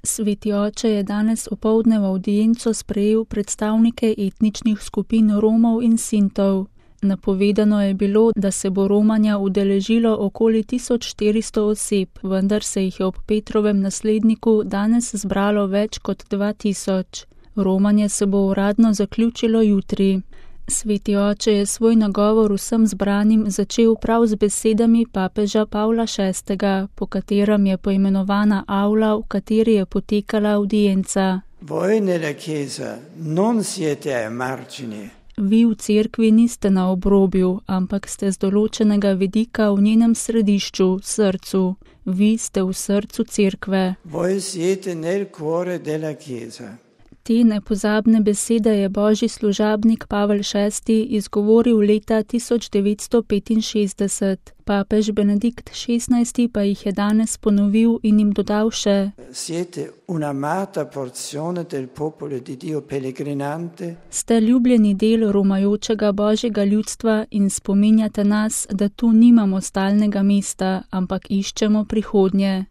Sveti oče je danes opoldne v avdienco sprejel predstavnike etničnih skupin Romov in Sintov. Napovedano je bilo, da se bo romanja udeležilo okoli 1400 oseb, vendar se jih je ob Petrovem nasledniku danes zbralo več kot 2000. Romanje se bo uradno zaključilo jutri. Sveti oče je svoj nagovor vsem zbranim začel prav z besedami papeža Pavla VI., po katerem je poimenovana avla, v kateri je potekala avdienca. Voi nella chiesa non siete ai margini. Vi v cerkvi niste na obrobju, ampak ste z določenega vidika v njenem središču, srcu. Vi ste v srcu cerkve. Voi siete nel cuore della chiesa. Te nepozabne besede je božji služabnik Pavel VI. Izgovoril leta 1965. Papež Benedikt XVI. Pa jih je danes ponovil in jim dodal še: Siete un'amata porzione del popolo di Dio pellegrinante. Ste ljubljeni del romajočega božjega ljudstva in spominjate nas, da tu nimamo stalnega mesta, ampak iščemo prihodnje.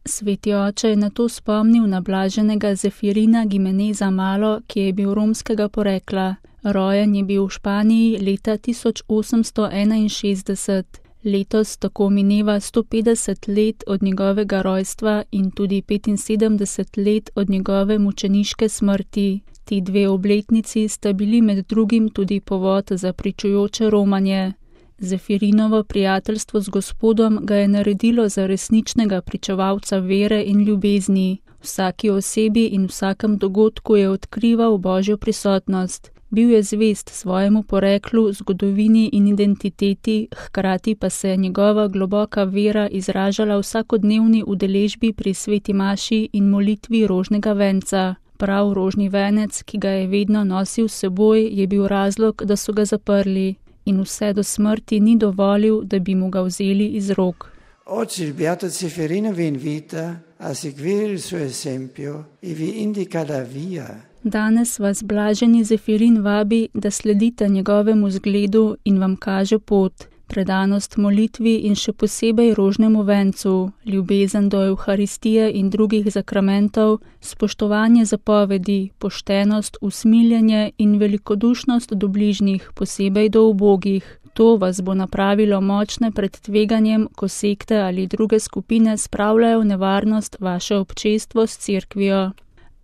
Sveti oče je nato spomnil na blaženega Zefirina Gimeneza Malo, ki je bil romskega porekla. Rojen je bil v Španiji leta 1861. Letos tako mineva 150 let od njegovega rojstva in tudi 75 let od njegove mučeniške smrti. Ti dve obletnici sta bili med drugim tudi povod za pričujoče romanje. Zefirinovo prijateljstvo z Gospodom ga je naredilo za resničnega pričevalca vere in ljubezni. Vsaki osebi in vsakem dogodku je odkrival Božjo prisotnost. Bil je zvest svojemu poreklu, zgodovini in identiteti, hkrati pa se je njegova globoka vera izražala v vsakodnevni udeležbi pri sveti maši in molitvi rožnega venca. Prav rožni venec, ki ga je vedno nosil s seboj, je bil razlog, da so ga zaprli. In vse do smrti ni dovolil, da bi mu ga vzeli iz rok. Oggi il beato Zeferino vi invita a seguire il suo esempio e vi indica la via. Danes vas blaženi Zefirin vabi, da sledite njegovemu zgledu in vam kaže pot. Predanost molitvi in še posebej rožnemu vencu, ljubezen do Evharistije in drugih zakramentov, spoštovanje zapovedi, poštenost, usmiljenje in velikodušnost do bližnjih, posebej do ubogih. To vas bo napravilo močne pred tveganjem, ko sekte ali druge skupine spravljajo v nevarnost vaše občestvo s cerkvijo.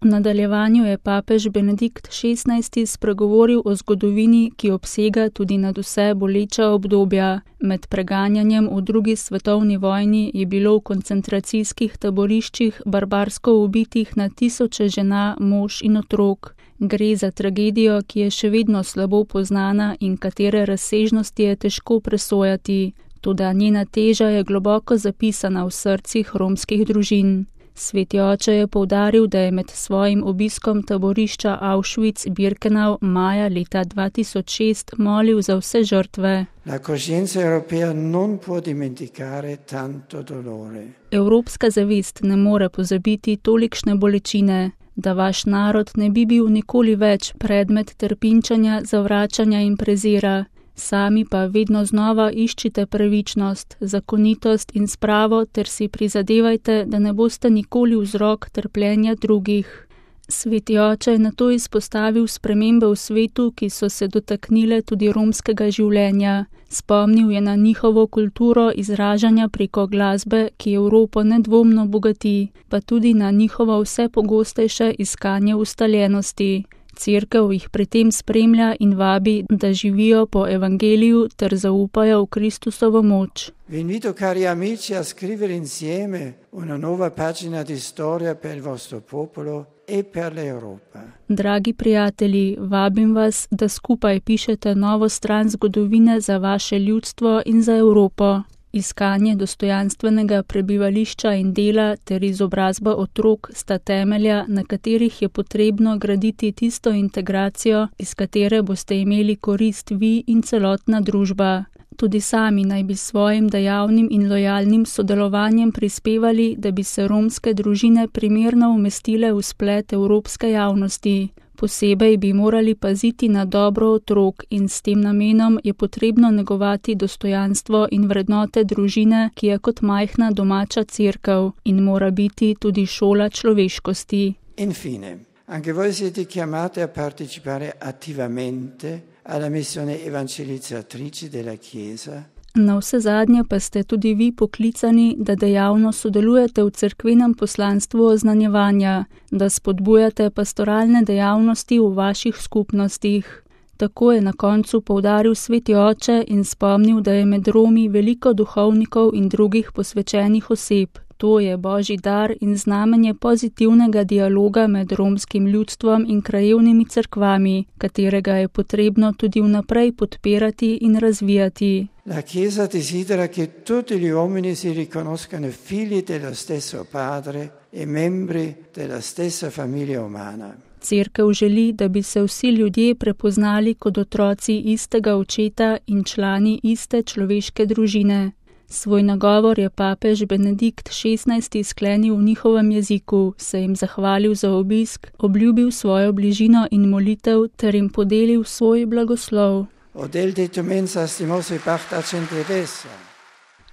V nadaljevanju je papež Benedikt XVI. Spregovoril o zgodovini, ki obsega tudi nadvse boleča obdobja. Med preganjanjem v drugi svetovni vojni je bilo v koncentracijskih taboriščih barbarsko ubitih na tisoče žena, mož in otrok. Gre za tragedijo, ki je še vedno slabo poznana in katere razsežnosti je težko presojati. Toda njena teža je globoko zapisana v srcih romskih družin. Sveti oče je poudaril, da je med svojim obiskom taborišča Auschwitz-Birkenau maja leta 2006 molil za vse žrtve. La coscienza europea non può dimenticare tanto dolore. Evropska zavest ne more pozabiti tolikšne bolečine, da vaš narod ne bi bil nikoli več predmet trpinčanja, zavračanja in prezira. Sami pa vedno znova iščite pravičnost, zakonitost in spravo ter si prizadevajte, da ne boste nikoli vzrok trpljenja drugih. Sveti oče je nato izpostavil spremembe v svetu, ki so se dotaknile tudi romskega življenja. Spomnil je na njihovo kulturo izražanja preko glasbe, ki Evropo nedvomno bogati, pa tudi na njihovo vse pogostejše iskanje ustaljenosti. Cerkev jih pri tem spremlja in vabi, da živijo po evangeliju ter zaupajo v Kristusovo moč. Vi invito, cari amici, a scrivere insieme una nuova pagina di storia per il vostro popolo e per l'Europa. Dragi prijatelji, vabim vas, da skupaj pišete novo stran zgodovine za vaše ljudstvo in za Evropo. Iskanje dostojanstvenega prebivališča in dela ter izobrazba otrok sta temelja, na katerih je potrebno graditi tisto integracijo, iz katere boste imeli korist vi in celotna družba. Tudi sami naj bi svojim dejavnim in lojalnim sodelovanjem prispevali, da bi se romske družine primerno umestile v splet evropske javnosti. Posebej bi morali paziti na dobro otrok in s tem namenom je potrebno negovati dostojanstvo in vrednote družine, ki je kot majhna domača cerkev in mora biti tudi šola človeškosti. Infine, anche voi siete chiamati a partecipare attivamente alla missione evangelizzatrice della Chiesa. Na vse zadnje pa ste tudi vi poklicani, da dejavno sodelujete v cerkvenem poslanstvu oznanjevanja, da spodbujate pastoralne dejavnosti v vaših skupnostih. Tako je na koncu poudaril sveti oče in spomnil, da je med Romi veliko duhovnikov in drugih posvečenih oseb. To je božji dar in znamenje pozitivnega dialoga med romskim ljudstvom in krajevnimi cerkvami, katerega je potrebno tudi vnaprej podpirati in razvijati. La Chiesa desidera che tutti gli uomini si riconoscano figli dello stesso Padre e membri della stessa famiglia umana. Cerkev želi, da bi se vsi ljudje prepoznali kot otroci istega očeta in člani iste človeške družine. Svoj nagovor je papež Benedikt XVI sklenil v njihovem jeziku, se jim zahvalil za obisk, obljubil svojo bližino in molitev ter jim podelil svoj blagoslov.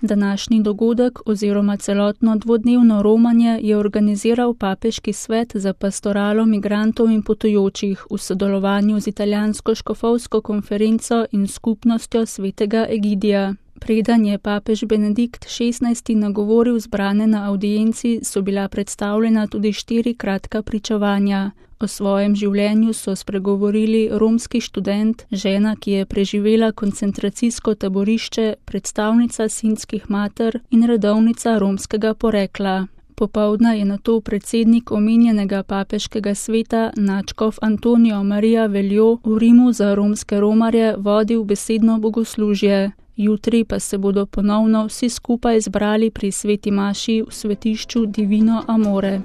Današnji dogodek oziroma celotno dvodnevno romanje je organiziral Papeški svet za pastoralo migrantov in potujočih v sodelovanju z italijansko škofovsko konferenco in skupnostjo svetega Egidija. Preden je papež Benedikt XVI nagovoril zbrane na avdienci, so bila predstavljena tudi 4 kratka pričevanja. O svojem življenju so spregovorili romski študent, žena, ki je preživela koncentracijsko taborišče, predstavnica sinskih mater in redovnica romskega porekla. Popoldne je nato predsednik omenjenega papeškega sveta nadškof Antonio Maria Veljo v Rimu za romske romarje vodil besedno bogoslužje. Jutri pa se bodo ponovno vsi skupaj zbrali pri sveti maši v svetišču Divino Amore.